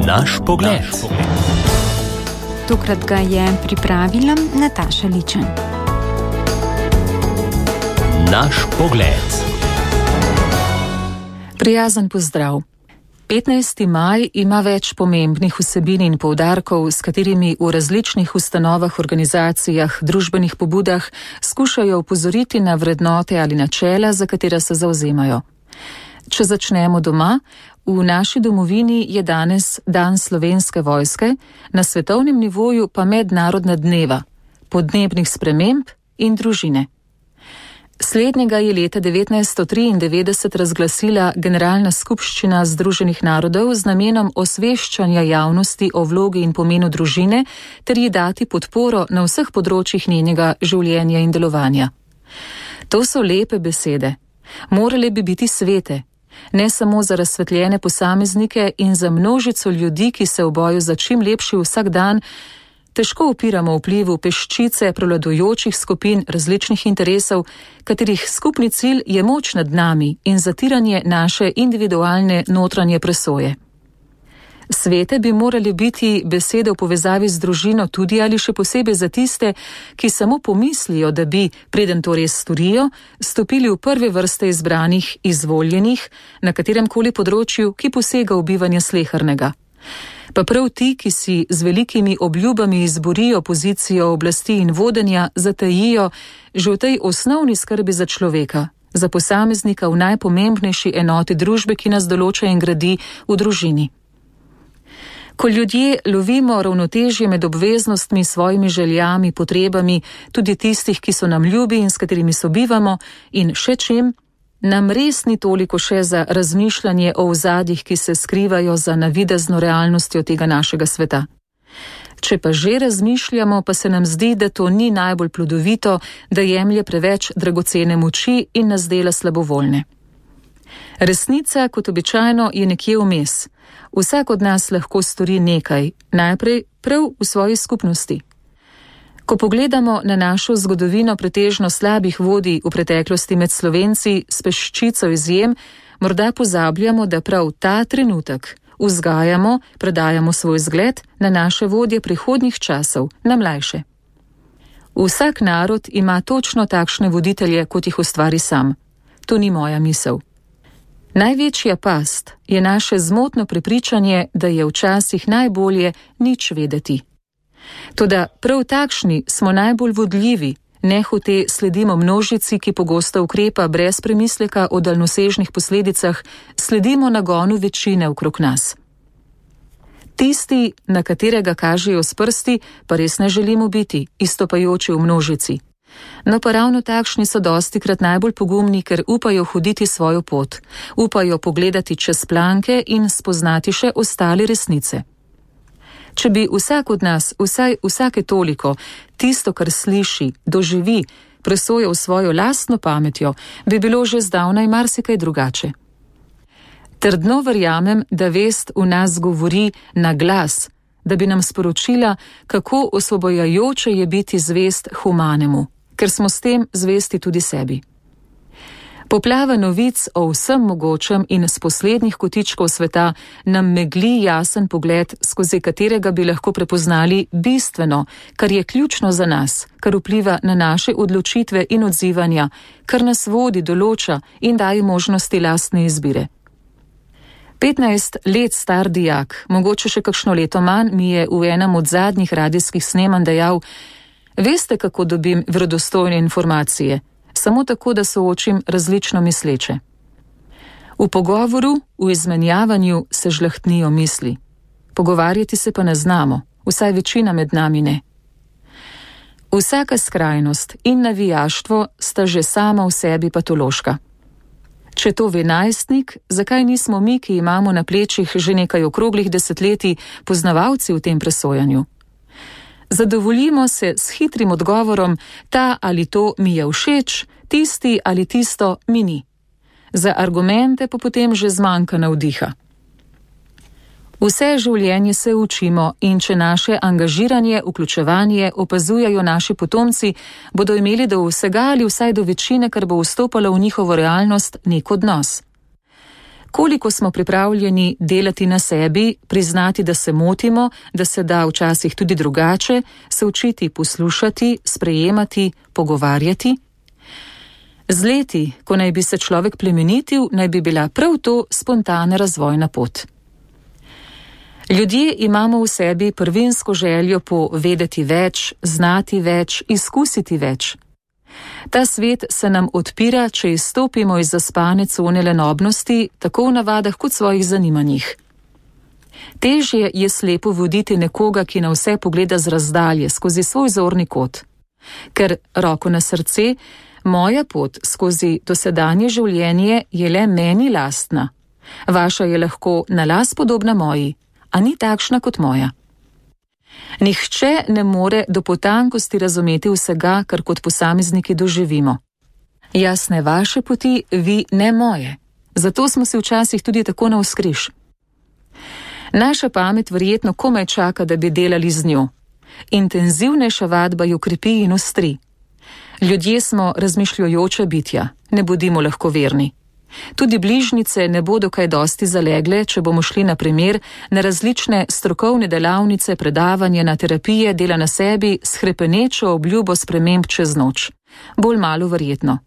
Naš pogled. Tokrat ga je pripravila Nataša Ličen. Naš pogled. Prijazen pozdrav. 15. maj ima več pomembnih vsebin in poudarkov, s katerimi v različnih ustanovah, organizacijah, družbenih pobudah skušajo opozoriti na vrednote ali načela, za katera se zavzemajo. Če začnemo doma, v naši domovini je danes dan Slovenske vojske, na svetovnem nivoju pa mednarodna dneva, podnebnih sprememb in družine. Slednjega je leta 1993 razglasila Generalna skupščina Združenih narodov z namenom osveščanja javnosti o vlogi in pomenu družine ter ji dati podporo na vseh področjih njenega življenja in delovanja. To so lepe besede. Morale bi biti svete. Ne samo za razsvetljene posameznike in za množico ljudi, ki se v boju za čim lepši vsak dan težko upiramo vplivu peščice prevladujočih skupin različnih interesov, katerih skupni cilj je moč nad nami in zatiranje naše individualne notranje presoje. Svete bi morali biti besede v povezavi z družino tudi ali še posebej za tiste, ki samo pomislijo, da bi, preden to res storijo, stopili v prve vrste izbranih, izvoljenih, na kateremkoli področju, ki posega v bivanje slehernega. Pa prav ti, ki si z velikimi obljubami izborijo pozicijo oblasti in vodenja, zatajijo že v tej osnovni skrbi za človeka, za posameznika v najpomembnejši enoti družbe, ki nas določa in gradi v družini. Ko ljudje lovimo ravnotežje med obveznostmi, svojimi željami, potrebami, tudi tistih, ki so nam ljubi in s katerimi sobivamo, in še čim, nam res ni toliko še za razmišljanje o ozadjih, ki se skrivajo za navidezno realnostjo tega našega sveta. Če pa že razmišljamo, pa se nam zdi, da to ni najbolj plodovito, da jemlje preveč dragocene moči in nas dela slabovoljne. Resnica, kot običajno, je nekje vmes. Vsak od nas lahko stori nekaj, najprej prav v svoji skupnosti. Ko pogledamo na našo zgodovino pretežno slabih vodij v preteklosti med Slovenci s peščico izjem, morda pozabljamo, da prav ta trenutek vzgajamo, predajamo svoj zgled na naše vodje prihodnjih časov, na mlajše. Vsak narod ima točno takšne voditelje, kot jih ustvari sam. To ni moja misel. Največja past je naše zmotno prepričanje, da je včasih najbolje nič vedeti. Toda prav takšni smo najbolj vodljivi, nehote sledimo množici, ki pogosto ukrepa brez premisleka o daljnosežnih posledicah, sledimo nagonu večine okrog nas. Tisti, na katerega kažejo s prsti, pa res ne želimo biti, izstopajoči v množici. No pa ravno takšni so dostikrat najbolj pogumni, ker upajo hoditi svojo pot, upajo pogledati čez planke in spoznati še ostale resnice. Če bi vsak od nas, vsaj vsake toliko, tisto, kar sliši, doživi, presojal svojo lastno pametjo, bi bilo že zdavnaj marsikaj drugače. Trdno verjamem, da vest v nas govori na glas, da bi nam sporočila, kako osvobojajoče je biti zvest humanemu, ker smo s tem zvesti tudi sebi. Poplava novic o vsem mogočem in s poslednjih kotičkov sveta nam megli jasen pogled, skozi katerega bi lahko prepoznali bistveno, kar je ključno za nas, kar vpliva na naše odločitve in odzivanja, kar nas vodi, določa in daje možnosti lastne izbire. 15 let star dijak, mogoče še kakšno leto manj, mi je v enem od zadnjih radijskih snemanj dejal: veste, kako dobim verodostojne informacije? Samo tako, da soočim različno misleče. V pogovoru, v izmenjavanju se žlahtnijo misli. Pogovarjati se pa ne znamo, vsaj večina med nami ne. Vsaka skrajnost in navijaštvo sta že sama v sebi patološka. Če to ve najstnik, zakaj nismo mi, ki imamo na plečih že nekaj okroglih desetletij, poznavalci v tem presojanju? Zadovoljimo se s hitrim odgovorom, ta ali to mi je všeč, tisti ali tisto mi ni. Za argumente pa potem že zmanjka navdiha. Vse življenje se učimo in če naše angažiranje, vključevanje opazujajo naši potomci, bodo imeli do vsega ali vsaj do večine, kar bo vstopalo v njihovo realnost, nek odnos. Koliko smo pripravljeni delati na sebi, priznati, da se motimo, da se da včasih tudi drugače, se učiti poslušati, sprejemati, pogovarjati? Z leti, ko naj bi se človek plemenitil, naj bi bila prav to spontana razvojna pot. Ljudje imamo v sebi prvinsko željo po vedeti več, znati več, izkusiti več. Ta svet se nam odpira, če izstopimo iz zaspane cone lenobnosti, tako v navadah kot svojih zanimanjih. Težje je slepo voditi nekoga, ki na vse pogleda z razdalje, skozi svoj zorni kot. Ker, roko na srce, moja pot skozi dosedanje življenje je le meni lastna. Vaša je lahko na las podobna moji, a ni takšna kot moja. Nihče ne more do potankosti razumeti vsega, kar kot posamezniki doživimo. Jasne vaše poti, vi ne moje. Zato smo si včasih tudi tako navzkriž. Naša pamet verjetno komaj čaka, da bi delali z njo. Intenzivnejša vadba jo krepi in ostri. Ljudje smo razmišljujoča bitja, ne bodimo lahkoverni. Tudi bližnjice ne bodo kaj dosti zalegle, če bomo šli na primer na različne strokovne delavnice, predavanje, na terapije, dela na sebi s hrepenečo obljubo sprememb čez noč. Bolj malo verjetno.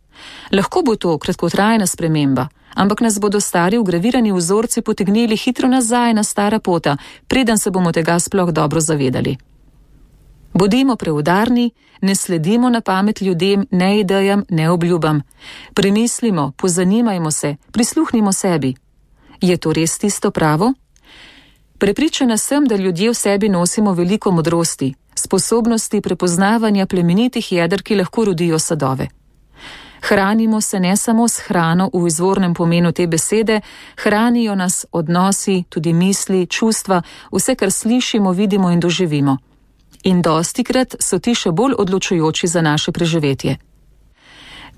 Lahko bo to kratkotrajna sprememba, ampak nas bodo stari vgravirani vzorci potegnili hitro nazaj na stara pota, preden se bomo tega sploh dobro zavedali. Bodimo preudarni, ne sledimo na pamet ljudem, ne idejam, ne obljubam. Premislimo, pozanimajmo se, prisluhnimo sebi. Je to res tisto pravo? Prepričana sem, da ljudje v sebi nosimo veliko modrosti, sposobnosti prepoznavanja plemenitih jeder, ki lahko rodijo sadove. Hranimo se ne samo s hrano v izvornem pomenu te besede, hranijo nas odnosi, tudi misli, čustva, vse, kar slišimo, vidimo in doživimo. In dostikrat so ti še bolj odločujoči za naše preživetje.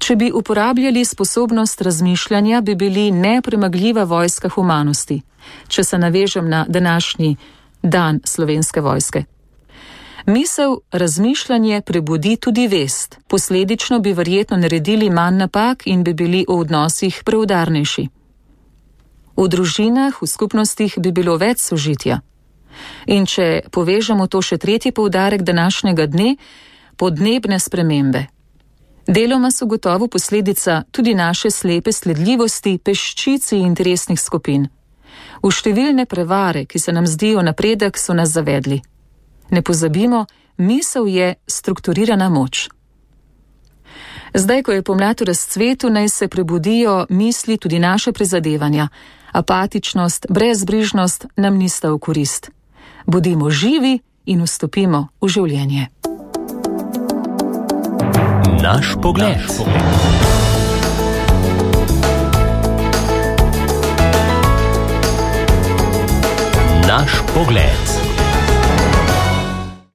Če bi uporabljali sposobnost razmišljanja, bi bili nepremagljiva vojska humanosti, če se navežem na današnji dan Slovenske vojske. Misel, razmišljanje prebudi tudi vest, posledično bi verjetno naredili manj napak in bi bili v odnosih preudarnejši. V družinah, v skupnostih bi bilo več sožitja. In če povežemo to še tretji poudarek današnjega dne, podnebne spremembe. Deloma so gotovo posledica tudi naše slepe sledljivosti peščici interesnih skupin. V številne prevare, ki se nam zdijo napredek, so nas zavedli. Ne pozabimo, misel je strukturirana moč. Zdaj, ko je pomlad v razcvetu, naj se prebudijo misli tudi naše prizadevanja. Apatičnost, brezbrižnost nam nista v korist. Bodimo živi in vstopimo v življenje. Naš pogled. Naš pogled.